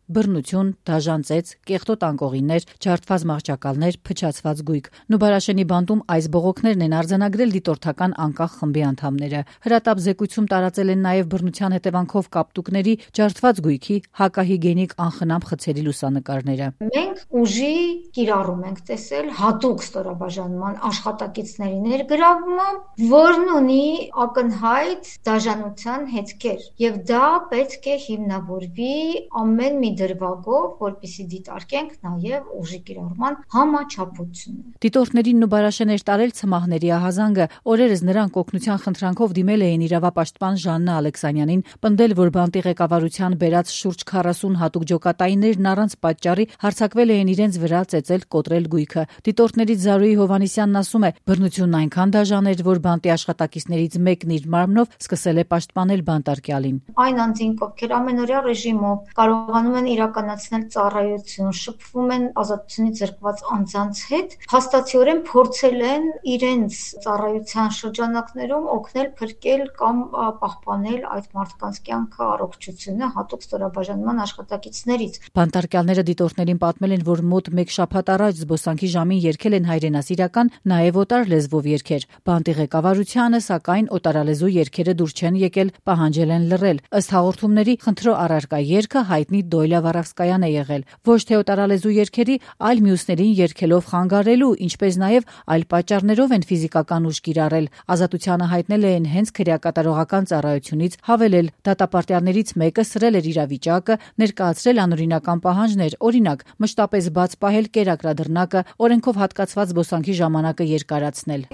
բռնություն, դաժան ծեծ, կեղտոտ անկողիններ, ջարդված մահճակալներ, փչացված գույք։ Նուբարաշենի բանտում այս բողոքներն են արձանագրել դիտորդական անկախ խմբի անդամները։ Հրատապ զեկույցում տարածել են նաև բռնության հետևանքով կապտուկների, ջարդված գույքի, հակահիգիենիկ անխնամ խցերի լուսանկարները։ Մենք ուժի կիրառում ենք տեսել հատուկ ստորաբաժանման աշխատակիցների ներգրավմամբ, որն ունի ակնհայտ դաժանության հետքեր, եւ դա պետք է հիմնավորվի ամեն մի դրվագով, որպեսզի դիտարկենք նաեւ ուժի կիրառման համաչափությունը։ Դիտորդներին Նուբարաշեն էր տարել ցմահների ահազանգը։ Օրերս նրանք օգնության խնդրանքով դիմել էին իրավապաշտպան Ժաննա Ալեքսանյանին, պնդել, որ բանտի ղեկավարության բերած շուրջ 40 հատուկ ջոկատայիններն առանց պատճառի հարձակվել էին իրենց վրա, ծեծել, կոտրել գույքը։ Դիտորդներից Զարուհի Հովհաննիսյանն ասում է, բռնությունն այնքան դաժան էր, որ բանտի աշխատակիցներից մեկն իր մարմնով սկսել է պաշտպանել բանտարկյալին։ Այն անձինք, ովքեր ամենօրյա ռեժիմով կարողանում են իրականացնել ծառայություն, շփվում են ազատությունից զրկված անձանց հետ, հաստատիորեն փորձել են իրենց ծառայության շրջանակներում օգնել փրկել կամ պահպանել այդ մարդկանց կյանքը, առողջությունը հատուկ ստորաբաժանման աշխատակիցներից։ Բանտարկյալները դիտորդներին պատմել են, որ մոտ 1 շաբաթ առաջ զբոսանքի ժամին երգել են հայրենասիրական, նաև օտար լեզվով երգեր։ Բանտի ղեկավարությանը, սակայն, օտարալեզու երգերը դուր չեն եկել, պահանջել են լռել։ Ըստ հաղորդումների, խնդրո առարկա երգը հայտնի Դոյլա Վարավսկայան է եղել։ Ոչ թե օտարալեզու երգերի, այլ մյուսներին երգելով խանգարելու, ինչպես նաև այլ պատճառներով են ֆիզիկական ուժ կիրառել։ Ազատությանը հայտնել են հենց քրեակատարողական ծառայությունից, հավելել, դատապարտյալներից մեկը սրել էր իրավիճակը, ներկայացրել անօրինական պահանջներ, օրինակ, մշտապես բաց պահել կերակրադռնակը, օրենքով հատկացված զբոսանքի ժամանակը երկարացնել։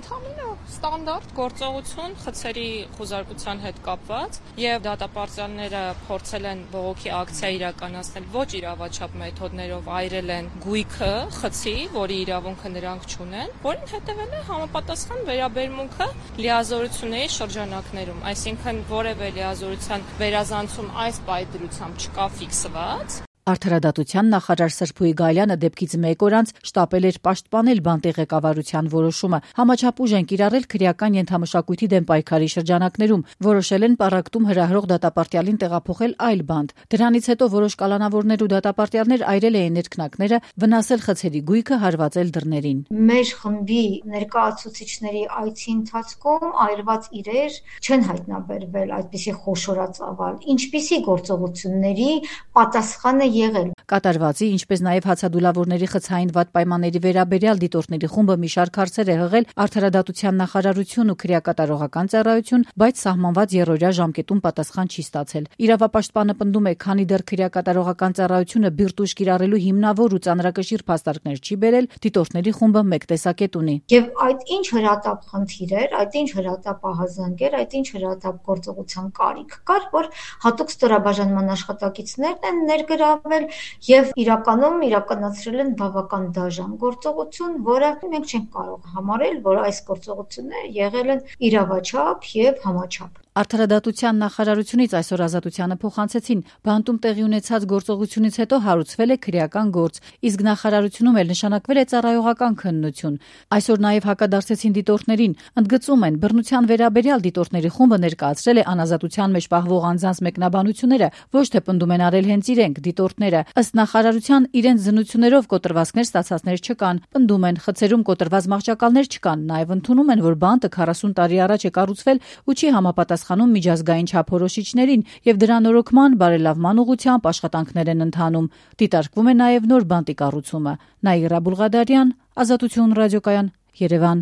Ստանդարտ գործողություն խցերի խուզարկության հետ կապված եւ դատապարտյալները փորձել են բողոքի ակցիա իրականացնել ոչ իրավաչափ մեթոդներով, այրել են գույքը խցի, որի իրավունքը նրանք չունեն, որին հետևել է համապատասխան վերաբերմունքը լիազորությունների շրջանակներում, այսինքն որևէ լիազորության վերազանցում այս պայծրությամբ չկա ֆիքսված։ Արդարադատության նախարար Սրփուի Գալյանը դեպքից 1 օր անց շտապել էր պաշտպանել բանտի ղեկավարության որոշումը։ Համաչափ ուժ են կիրառել քրեական ենթամշակույթի դեմ պայքարի շրջանակներում, որոշել են պառակտում հրահրող դատապարտյալին տեղափոխել այլ բանտ։ Դրանից հետո որոշ կալանավորներ ու դատապարտյալներ այրել էին ներքնակները, վնասել խցերի գույքը, հարվածել դռներին։ Մեր խմբի ներկայացուցիչների այցի ընթացքում այրված իրեր չեն հայտնաբերվել այդպիսի խոշորածավալ, ինչպիսի գործողությունների պատասխանը եղել։ Կատարվածի, ինչպես նաև հացադուլավորների խցային վատ պայմանների վերաբերյալ դիտորդների խումբը մի շարք հարցեր է հղել Արդարադատության նախարարություն ու քրեակատարողական ծառայություն, բայց սահմանված երրորդյա ժամկետում պատասխան չի ստացել։ Իրավապաշտպանը պնդում է, քանի դեռ քրեակատարողական ծառայությունը բիրտ ուժ կիրառելու հիմնավոր ու ծանրակշիռ փաստարկներ չի բերել, դիտորդների խումբը մեկ տեսակետ ունի։ Եվ այդ ինչ հրատապ խնդիր էր, այդ ինչ հրատապ ահազանգ էր, այդ ինչ հրատապ գործողության կարիք կար, որ հատուկ ստորաբաժանման աշխատակիցներն են ներգրավել եւ իրականում իրականացրել են բավական դաժան գործողություն, որը մենք չենք կարող համարել, որ այս գործողությունները եղել են իրավաչափ եւ համաչափ։ Արդարադատության նախարարությունից այսօր Ազատությանը փոխանցեցին, բանտում տեղի ունեցած գործողությունից հետո հարուցվել է քրեական գործ, իսկ նախարարությունում էլ նշանակվել է ծառայողական քննություն։ Այսօր նաև հակադարձեցին դիտորդներին, ընդգծում են, բռնության վերաբերյալ դիտորդների խումբը ներկայացրել է անազատության մեջ պահվող անձանց մեկնաբանությունները, ոչ թե պնդում են արել հենց իրենք, դիտորդները։ Ըստ նախարարության, իրենց զնություններով կոտրվածքներ ստացածներ չկան, պնդում են, խցերում կոտրված մահճակալներ չկան, նաև ընդունում են, որ բանտը 40 տարի առաջ է կառուցվել ու չի համապատասխանում միջազգային չափորոշիչներին եւ դրա նորոգման բարելավման ուղղությամբ աշխատանքներ են ընթանում։ Դիտարկվում է նաեւ նոր բանտի կառուցումը։ Նաիրա Բուլղադարյան, Ազատություն ռադիոկայան, Երևան։